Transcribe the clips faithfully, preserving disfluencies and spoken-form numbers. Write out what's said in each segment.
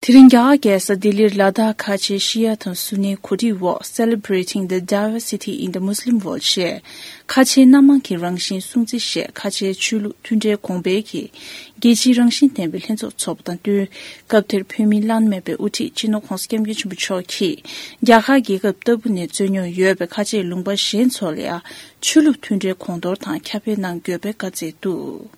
དེ་རིང་རྒྱ་གར་རྒྱལ་ས་ལྡི་ལིར་ལ་དྭགས་ཁ་ཆེ་ཤི་ཡ་དང་སུ་ནིའི་གོ་སྒྲིག་འོག Celebrating the Diversity in the Muslim World ཞེས་ཁ་ཆེའི་སྣ་མང་གི་རང་བཞིན་སྲུང་བརྩི་ཞེས་ཁ་ཆེའི་ཆོས་ལུགས་མཐུན་འབྲེལ་གོང་འཕེལ་གྱི་རྒྱལ་སྤྱིའི་རང་བཞིན་ལྡན་པའི་ལྷན་ཚོགས་འཚོགས་པ་དང་བསྟུན། སྐབས་དེར་བོད་མིའི་བླ་ན་མེད་པའི་དབུ་ཁྲིད་སྤྱི་ནོར་༧གོང་ས་༧སྐྱབས་མགོན་ཆེན་པོ་མཆོག་གིས་རྒྱ་གར་རྒྱལ་ཁབ་ལྟ་བུ་ནས་རྩོད་རྙོག་ཡོད་པའི་ཁ་ཆེའི་ལུང་པ་གཞན་ཚོ་ལ་ཡང་ཆོས་ལུགས་མཐུན་འབྲེལ་གོང་མཐོར་དང་ཁྱབ་སྤེལ་གནང་དགོས་པའི་བཀའ་སྩལ་འདུག་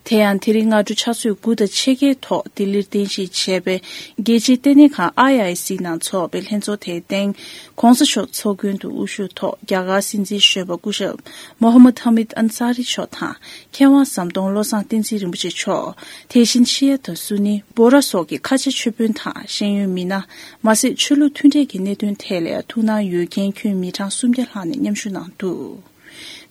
དེ་ཡང་དེ་རིང་སྔ་དྲོ་ཕྱག་ཚོད་དགུ་དང་ཕྱེད་ཀའི་ཐོག་ལྡི་ལིར་རྟེན་གཞི་བྱས་པའི་རྒྱལ་སྤྱིའི་ལྟེ་གནས་ཁང་I I C ནང་འཚོགས་པའི་ལྷན་ཚོགས་དེའི་སྟེང་། ྋགོང་ས་མཆོག་ཚོགས་མགོན་དུ་དབུ་བཞུགས་ཐོག་རྒྱ་གར་སྲིད་འཛིན་གཞོན་པ་སྐུ་ཞབས་མོ་ཧམ་མད་ཧ་མིད་ཨན་ས་རི་མཆོག་དང་། མཁས་དབང་ཟམ་གདོང་བློ་བཟང་བསྟན་འཛིན་རིན་པོ་ཆེ་མཆོག་དེ་བཞིན་ཤི་ཡ་དང་སུ་ནི། བྷོ་ར་སོགས་ཀྱི་ཁ་ཆེ་ཆོས་དཔོན་དང་ཤེས་ཡོན་མི་སྣ། མ་ཟད་ཆོས་ལུགས་མཐུན་འབྲེལ་གྱི་གནད་དོན་ཐད་ལ་ཐུགས་སྣང་ཡོད་མཁན་ཁྱོན་མི་གྲངས་སུམ་བརྒྱ་ལྷག་ནས་མཉམ་ཞུགས་གནང་འདུག་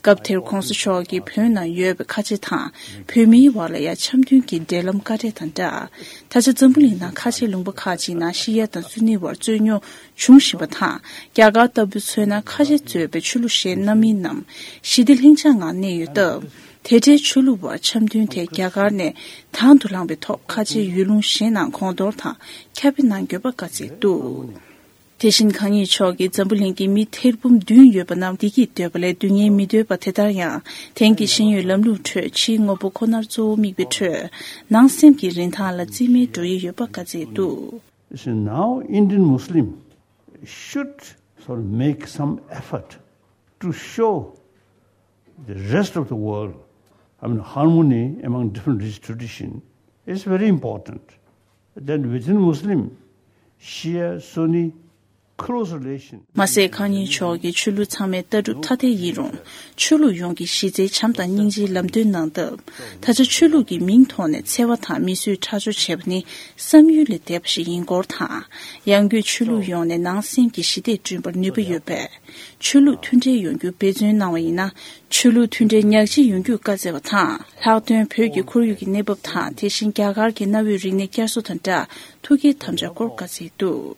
སྐབས་དེར་ྋགོང་ས་མཆོག་གིས་བོད་ནང་ཡོད་པའི་ཁ་ཆེ་དང་བོད་མིའི་བར་ལ་ཡང་འཆམ་མཐུན་གྱི་འབྲེལ་ལམ་བཀའ་འབྲས་དང་སྦྲགས། ད་ཆ་འཛམ་བུ་གླིང་ནང་ཁ་ཆེ་ལུང་པ་ཁག་ཅིག་ནང་ཤི་ཡ་དང་སུ་ནི་བར་རྩོད་རྙོག་འབྱུང་བཞིན་པ་དང་། རྒྱ་གར་ལྟ་བུ་མཚོན་ན་ཁ་ཆེ་གཙོས་པའི་ཆོས་ལུགས་གཞན་རྣམ་སྨིན་ནམ་ཞི་བདེ་ལྷིང་འཇགས་ངང་གནས་ཡོད་སྟབས། དེ་འབྲེལ་ཆོས་ལུགས་བར་འཆམ་མཐུན་དེ་རྒྱ་གར་ནས་དང་དུ་བླངས་པའི་ཐོག་ཁ་ཆེ་ཡུལ་ལུང་གཞན་ནང་གོང་མཐོར་དང་ཁྱབ་སྤེལ་གནང་དགོས་པ་བཀའ་སྩལ་འདུག་དེ་བཞིན་གང་ཉིད་མཆོག་གིས་འཛམ་བུ་གླིང་གི་མི་ཐེར་འབུམ་བདུན་ཡོད་པ་རྣམས་བདེ་སྐྱིད་འདོད་པ་ལས་སྡུག་བསྔལ་མི་འདོད་པ་དེ་ལྟར་ཡང་། དེང་གི་ཤེས་ཡོན་ལམ་ལུགས་ཁྲོད་ཕྱིའི་དངོས་པོ་ཁོ་ནར་གཙོ་བོ་དམིགས་པའི་ཁྲོད། ནང་སེམས་ཀྱི་རིན་ཐང་ལ་རྩིས་མེད་འགྲོ་ཡི་ཡོད་པ་བཀའ་སྩལ་འདུག You see, now Indian Muslim should sort of make some effort to show the rest of the world, I mean, harmony among different religious tradition is very important. Then within Muslim, Shia, Sunni, close relation. མ་ཟད་གང་ཉིད་མཆོག་གིས་ཆོས་ལུགས་ཚང་མའི་ལྟ་གྲུབ་ཐ་དད་ཡིན་རུང་། ཆོས་ལུགས་ཡོངས་ཀྱི་གཞི་རྩའི་བྱམས་དང་སྙིང་རྗེའི་ལམ་སྟོན་གནང་སྟབས། ད་ཆ་ཆོས་ལུགས་ཀྱི་མིང་ཐོག་ནས་འཚེ་བ་དང་མི་གསོད་ཁྲག་སྦྱོར་བྱས་པ་ནི་བསམ་ཡུལ་ལས་འདས་པ་ཞིག་ཡིན་སྐོར་དང་། ཡང་སྒོས་ཆོས་ལུགས་ཡོངས་ནས་ནང་སེམས་ཀྱི་ཞི་བདེ་བསྐྲུན་པར་ནུས་པ་ཡོད་པས། ཆོས་ལུགས་མཐུན་འབྲེལ་ཡོང་རྒྱུ་འབད་བརྩོན་གནང་བ་ཡིན་ན། ཆོས་ལུགས་མཐུན་འབྲེལ་ཉག་གཅིག་ཡོང་རྒྱུ་བཀའ་སྩལ་བ་དང་། ལྷག་དོན་བོད་ཀྱི་ཁོར་ཡུག་གི་གནས་བབ་དང་། དེ་བཞིན་རྒྱ་གར་གྱི་གནའ་བོའི་རིག་གནས་བསྐྱར་གསོ་དང་སྦྲགས་ཐུགས་བསྐྱེད་དམ་བཅའ་སྐོར་བཀའ་སྩལ་འདུག་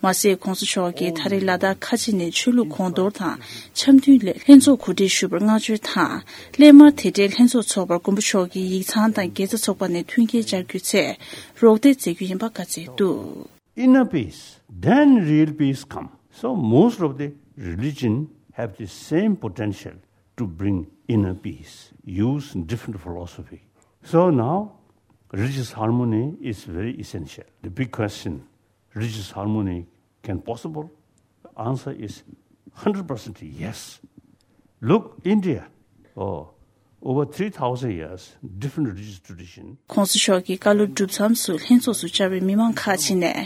མ་ཟད་ྋགོང་ས་མཆོག་གིས་ད་རེས་ལ་དྭགས་ཁ་ཆེ་ནས་ཆོས་ལུགས་གོང་མཐོར་དང་འཆམ་མཐུན་སླད་ལྷན་ཚོགས་གོ་སྒྲིག་ཞུ་བར་བསྔགས་བརྗོད་དང་། སླད་མར་དེ་འབྲེལ་ལྷན་ཚོགས་འཚོགས་པར་མགོན་པོ་མཆོག་གིས་ཡིག་ཚང་དང་དགེ་རྩ་ཚོགས་པ་ནས་མཐུན་རྐྱེན་སྦྱར་རྒྱུའི་ཆེད་རོགས་འདེགས་མཛད་རྒྱུ་ཡིན་པ་བཀའ་སྩལ་འདུག Inner peace, then real peace come. So most of the religion have the same potential to bring inner peace, use different philosophy. So now, religious harmony is very essential. The big question, religious harmony can possible? The answer is hundred percent yes. Look, India, oh, over three thousand years, different religious tradition. ྋགོང་ས་མཆོག་གིས་བཀའ་སློབ་གྲུབ་མཚམས་སུ་ལྷན་ཚོགས་སུ་བཅར་བའི་མི་མང་ཁག་ཅིག་ནས།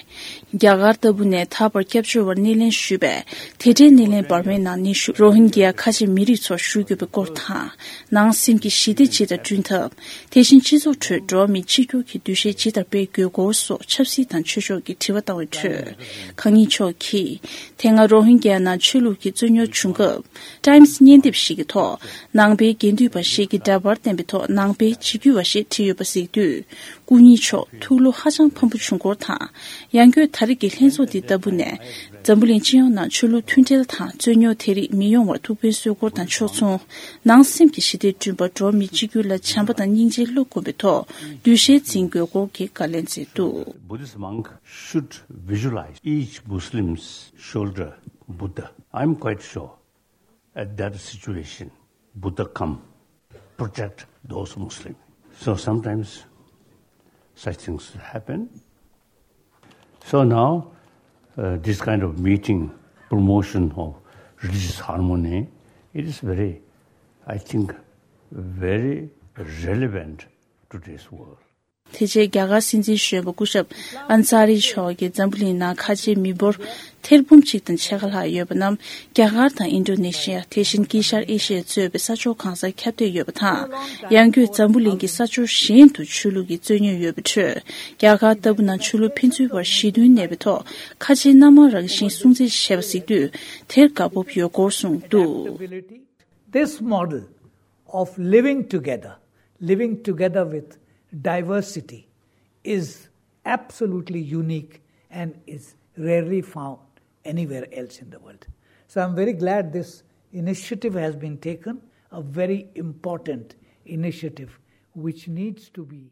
རྒྱ་གར་ལྟ་བུ་ནས་ད་བར་སྐྱབས་བཅོལ་བར་སྣེ་ལེན་ཞུས་པས། དེ་འབྲེལ་སྣེ་ལེན་འབར་མའི་ནང་ནུས་ཤུགས་རོ་ཧིན་གྱི་ཡ་ཁ་ཆེ་མི་རིགས་ཚོར་ཞུ་དགོས་པའི་སྐོར་དང་། ནང་སེམས་ཀྱི་ཞི་བདེ་ཇི་ལྟར་བསྐྲུན་ཐབས། དེ་བཞིན་སྤྱི་ཚོགས་ཁྲོད་འགྲོ་བ་མི་གཅིག་གྱུར་གྱི་འདུ་ཤེས་ཇི་ལྟར་སྤེལ་དགོས་སྐོར་སོགས་ཆབ་སྲིད་དང་ཆོས་ཕྱོགས་ཀྱི་དྲི་བ་བཏང་བའི་ཁྲོད། གང་ཉིད་མཆོག་གིས། དེ་སྔ་རོ་ཧིན་གྱི་ཡ་ནང་ཆོས་ལུགས་ཀྱི་རྩོད་རྙོག་བྱུང་སྐབས། Times་བརྙན་དེབ་ཞིག་གི་ཐོག་ནང་པའི་དགེ་འདུན་པ་ཞིག་གིས་འདྲ་པར་བསྟན་པའི་ཐོག་ནང་པའི་འཇིགས་སྐུལ་བ་ཞེས་བྲིས་ཡོད་པ་གཟིགས་དུས། སྐུ་ཉིད་མཆོག་ཐུགས་བློ་ཧ་ཅང་ཕམ་པོ་བྱུང་སྐོར་དང་། ཡང་སྒོས་ད་རེས་ཀྱི་ལྷན་ཚོགས་འདི་ལྟ་བུ་ནས། འཛམ་བུ་གླིང་སྤྱི་ཡོངས་ནང་ཆོས་ལུགས་མཐུན་སྒྲིལ་དང་རྩོད་རྙོག་དེ་རིགས་མི་ཡོང་བར་ཐུགས་ཕན་གསོས་སྐོར་དང་ཕྱོགས་མཚུངས། ནང་སེམས་ཀྱི་ཞི་བདེ་བསྐྲུན་པར་འགྲོ་བ་མི་གཅིག་གྱུར་ལ་བྱམས་པ་དང་སྙིང་རྗེ་བློ་བསྒོམས་པའི་ཐོག་འདུ་ཤེས་འཛིན་དགོས་སྐོར་གྱི་བཀའ་ལན་སྩལ་འདུག Buddhist monk should visualize each Muslim's shoulder Buddha. I'm quite sure at that situation, Buddha come protect those Muslims. So sometimes such things happen. So now, uh, this kind of meeting, promotion of religious harmony, it is very, I think, very relevant to today's world. དེ་རྗེས་རྒྱ་གར་སྲིད་འཛིན་གཞོན་པ་སྐུ་ཞབས་ཨན་ས་རི་མཆོག་གིས་འཛམ་བུ་གླིང་ནང་ཁ་ཆེའི་མི་འབོར་ཐེར་འབུམ་གཅིག་དང་ཕྱེད་ཀ་ལྷག་ཡོད་པ་རྣམས་རྒྱ་གར་དང་ཨིན་ཌོ་ནེ་ཤི་ཡ། དེ་བཞིན་དཀྱིལ་ཤར་ཨེ་ཤི་ཡ་གཙོས་པའི་ས་ཕྱོགས་གང་སར་ཁྱབ་གདལ་ཡོད་པ་དང་། ཡང་སྒོས་འཛམ་བུ་གླིང་གི་ས་ཕྱོགས་གཞན་དུ་ཆོས་ལུགས་ཀྱི་རྩོད་རྙོག་ཡོད་པའི་ཁྲོད། རྒྱ་གར་ལྟ་བུ་ནང་ཆོས་ལུགས་ཕན་ཚུན་བར་ཞི་མཐུན་གནས་པའི་ཐོག་ཁ་ཆེའི་སྣ་མང་རང་བཞིན་སྲུང་བརྩི་བྱས་པ་གཟིགས་དུས་དེར་དགའ་སྤོབས་ཡོད་སྐོར་གསུངས་འདུག This model of living together, living together with diversity, is absolutely unique and is rarely found anywhere else in the world. So I'm very glad this initiative has been taken, a very important initiative which needs to be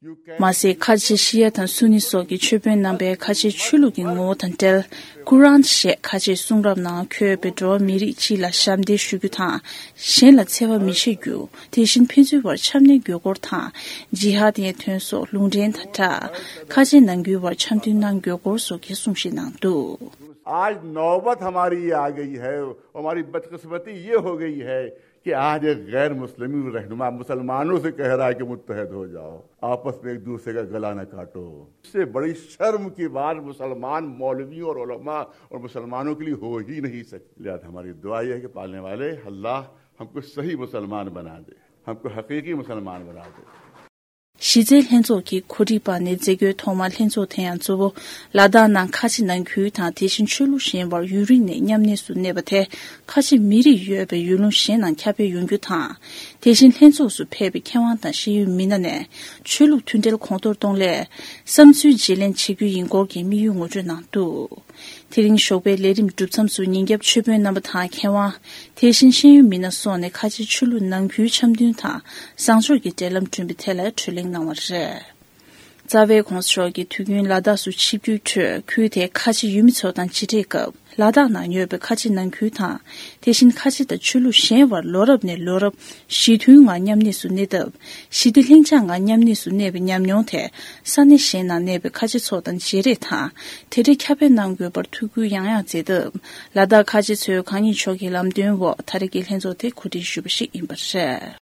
མ་ཟད། ཁ་ཆེ་ཤི་ཡ་དང་སུ་ནི་སོགས་ཀྱི་ཆོས་དཔོན་རྣམ་པས་ཁ་ཆེ་ཆོས་ལུགས་ཀྱི་ངོ་བོ་དང་འབྲེལ། ཀུ་རཱན་ཞེས་ཁ་ཆེའི་གསུང་རབ་ནང་འཁོད་པའི་འགྲོ་བ་མི་རིགས་སྤྱི་ལ་ཞབས་འདེགས་ཞུ་རྒྱུ་དང་། གཞན་ལ་འཚེ་བ་མི་བྱེད་རྒྱུ། དེ་བཞིན་ཕན་ཚུན་བར་འཆམ་མཐུན་དགོས་སྐོར་དང་། ཇི་ཧ་དའི་དོན་སོགས་ལུང་འདྲེན་དང་སྦྲགས། ཁ་ཆེ་ནང་ཁུལ་བར་འཆམ་མཐུན་གནང་དགོས་སྐོར་སོགས་ཀྱི་གསུང་བཤད་གནང་འདུག आज नौबत हमारी ये आ गई है, हमारी बदकिस्मती ये हो गई है कि आज एक गैर मुस्लिम रहनुमा मुसलमानों से कह रहा है कि मुत्तहद हो जाओ, आपस में एक दूसरे का गला न काटो। इससे बड़ी शर्म की बात मुसलमान मौलवियों और उलमा और मुसलमानों के लिए हो ही नहीं सकती। लिहाजा हमारी दुआ यह है कि पालने वाले अल्लाह हमको सही मुसलमान बना दे, हमको हकीकी मुसलमान बना दे। གཞི་རྩའི་ལྷན་ཚོགས་ཀྱི་གོ་སྒྲིག་པ་ནས་མཛད་སྒོའི་ཐོག་མར་ལྷན་ཚོགས་དེ་ཡང་གཙོ་བོ་ལ་དྭགས་ནང་ཁ་ཆེ་ནང་ཁུལ་དང་། དེ་བཞིན་ཆོས་ལུགས་གཞན་བར་ཡུན་རིང་ནས་མཉམ་གནས་སུ་གནས་པ་དེ་ཁ་ཆེ་མི་རིགས་ཡོད་པའི་ཡུལ་ལུང་གཞན་ནང་ཁྱབ་སྤེལ་ཡོང་རྒྱུ་དང་། དེ་བཞིན་ལྷན་ཚོགས་སུ་ཕེབས་པའི་མཁས་དབང་དང་ཤེས་ཡོན་མི་སྣ་ནས་ཆོས་ལུགས་མཐུན་འབྲེལ་གོང་མཐོར་གཏོང་སླད་བསམ་ཚུལ་བརྗེ་ལེན་བྱེད་རྒྱུ་ཡིན་སྐོར་གྱི་དམིགས་ཡུལ་ངོ་སྤྲོད་གནང་འདུག་དེ་རིང་ཞོགས་པའི་ལས་རིམ་གྲུབ་མཚམས་སུ་ཉིན་རྒྱབ་ཆོས་དཔོན་རྣམ་པ་དང་མཁས་དབང་། དེ་བཞིན་ཤེས་ཡོན་མི་སྣ་སོགས་ནས་ཁ་ཆེ་ཆོས་ལུགས་ནང་ཁུལ་འཆམ་མཐུན་དང་བཟང་ཕྱོགས་ཀྱི་འབྲེལ་ལམ་བསྐྲུན་པའི་ཐད་ལ་གྲོས་གླེང་གནང་བ་རེད། རྩ་བའི་༸གོང་ས་མཆོག་གིས་དུས་རྒྱུན་ལ་དྭགས་སུ་ཆིབས་བསྒྱུར་ཁྲོད་ཁུལ་དེའི་ཁ་ཆེ་ཡུལ་མི་ཚོ་དང་མཇལ་འཕྲད་སྐབས། ལ་དྭགས་ནང་ཡོད་པའི་ཁ་ཆེ་ནང་ཁུལ་དང་། དེ་བཞིན་ཁ་ཆེ་དང་ཆོས་ལུགས་གཞན་བར་ལོ་རབས་ནས་ལོ་རབས་ཞི་མཐུན་ངང་མཉམ་གནས་སུ་གནས་སྟབས། ཞི་བདེ་ལྷིང་འཇགས་ངང་མཉམ་གནས་སུ་གནས་པའི་ཉམས་མྱོང་དེ་ས་གནས་གཞན་ནང་གནས་པའི་ཁ་ཆེ་ཚོ་དང་མཇལ་འཕྲད་དང་། དེ་འདྲའི་ཁྱབ་སྤེལ་གནང་དགོས་པར་ཐུགས་ཁུར་ཡང་ཡང་མཛད་སྟབས། ལ་དྭགས་ཁ་ཆེ་ཚོས་གང་ཉིད་མཆོག་གི་ལམ་སྟོན་འོག་ད་རེས་ཀྱི་ལྷན་ཚོགས་དེ་གོ་སྒྲིག་ཞུས་པ་ཞིག་ཡིན་པ་རེད།